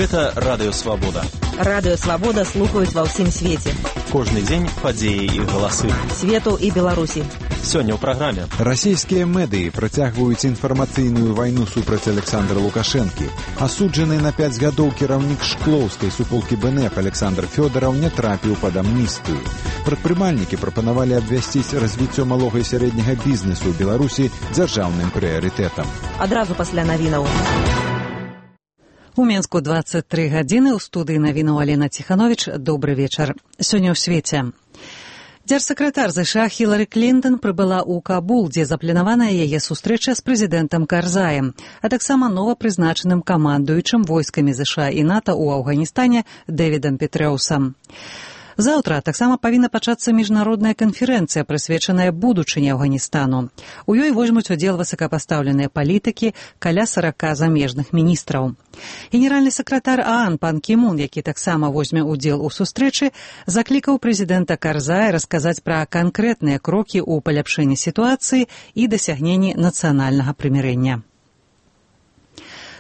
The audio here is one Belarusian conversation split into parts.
Гэта Радыё Свабода. Радыё Свабода слухаюць ва ўсім свеце. Кожны дзень падзеі і галасы. Свету і Беларусі. Сёння ў праграме. Расійскія медыі працягваюць інфармацыйную вайну супраць Александра Лукашэнкі. Асуджаны на 5 гадоў кіраўнік шклоўскай суполкі БНФ Александр Фёдараў не трапіў пад амністыю. Прадпрымальнікі прапанавалі абвясціць развіццё малога і сярэдняга бізнесу ў Беларусі дзяржаўным прыярытэтам. Адразу пасля навінаў. У Менску 23 гадзіны, у студыі навінаў Алена Ціхановіч. Добры вечар. Сёння ў свеце. Дзяржсакратар ЗША Хілары Клінтон прыбыла ў Кабул, дзе запланаваная яе сустрэча з прэзідэнтам Карзаем, а таксама новапрызначаным камандуючым войскамі ЗША і НАТО ў Афганістане Дэвідам Петрэусам. Заўтра таксама павінна пачацца міжнародная канферэнцыя, прысвечаная будучыні Афганістану. У ёй возьмуць удзел высокапастаўленыя палітыкі, каля 40 замежных міністраў. Генеральны сакратар ААН пан Кі Мун, які таксама возьме ўдзел у сустрэчы, заклікаў прэзідэнта Карзая расказаць пра канкрэтныя крокі ў паляпшэнні сітуацыі і дасягненні нацыянальнага прымірэння.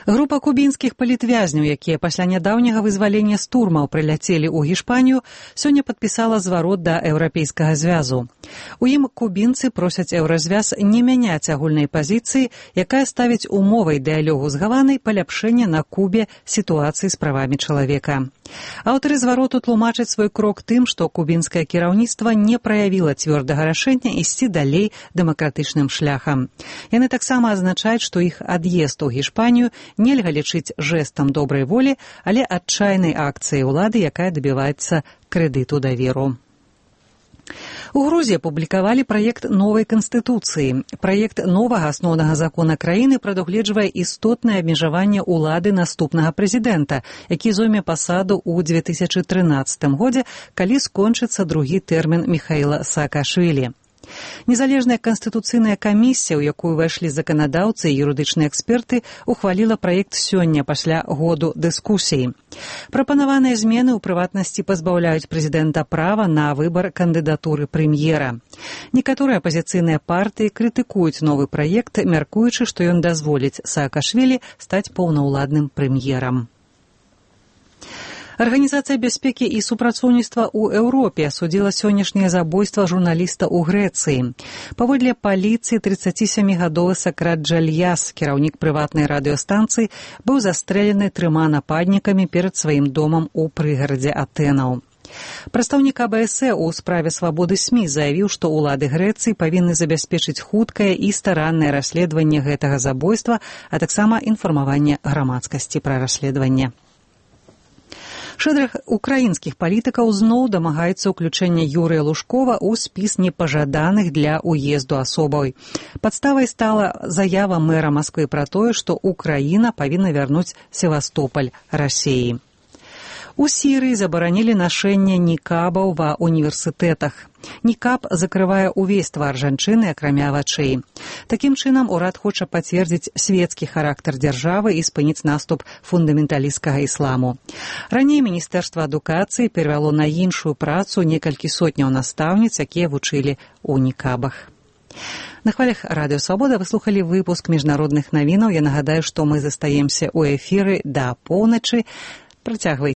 Група кубінскіх палітвязняў, якія пасля нядаўняга вызвалення з турмаў прыляцелі ў Гішпанію, сёння падпісала зварот да Еўрапейскага звязу. У ім кубінцы просяць Еўразвяз не мяняць агульнай пазіцыі, якая ставіць умовай дыялогу з Гаванай паляпшэння на Кубе сітуацыі з правамі чалавека. Аўтары звароту тлумачаць свой крок тым, што кубінскае кіраўніцтва не праявіла цвёрдага рашэння ісці далей дэмакратычным шляхам. Яны таксама азначаюць, што іх ад'езд у Гішпанію нельга лічыць жэстам добрай волі, але адчайнай акцыяй улады, якая дабіваецца крэдыту даверу. У Грузіі апублікавалі праект новай канстытуцыі. Праект новага асноўнага закона краіны прадугледжвае істотнае абмежаванне ўлады наступнага прэзідэнта, які зойме пасаду ў 2013 годзе, калі скончыцца другі тэрмін Міхаіла Саакашвілі. Незалежная канстытуцыйная камісія, у якую ўвайшлі заканадаўцы і юрыдычныя эксперты, ухваліла праект сёння пасля году дыскусій. Прапанаваныя змены ў прыватнасці пазбаўляюць прэзідэнта права на выбар кандыдатуры прэм'ера. Некаторыя апазіцыйныя партыі крытыкуюць новы праект, мяркуючы, што ён дазволіць Саакашвілі стаць паўнаўладным прэм'ерам. Арганізацыя бяспекі і супрацоўніцтва ў Еўропе асудзіла сённяшняе забойства журналіста ў Грэцыі. Паводле паліцыі, 37-гадовы Сакрат Джальяс, кіраўнік прыватнай радыёстанцыі, быў застрэлены 3 нападнікамі перад сваім домам у прыгарадзе Атэнаў. Прадстаўнік АБС у справе свабоды СМІ заявіў, што ўлады Грэцыі павінны забяспечыць хуткае і стараннае расследаванне гэтага забойства, а таксама інфармаванне грамадскасці пра расследаванне. Шэраг украінскіх палітыкаў зноў дамагаецца ўключэння Юрыя Лужкова ў спіс непажаданых для ўезду асобаў. Падставай стала заява мэра Масквы пра тое, што Украіна павінна вярнуць Севастополь Расіі. У Сірыі забаранілі нашэнне нікабаў ва універсітэтах. Нікаб закрывае ўвесь твар жанчыны, акрамя вачэй. Такім чынам, урад хоча пацвердзіць свецкі характар дзяржавы і спыніць наступ фундаменталісцкага ісламу. Раней Міністэрства адукацыі перавяло на іншую працу некалькі сотняў настаўніц, якія вучылі ў нікабах. На хвалях Радыё Свабода вы слухалі выпуск міжнародных навінаў. Я нагадаю, што мы застаемся ў эфіры да поўначы. Працягвайце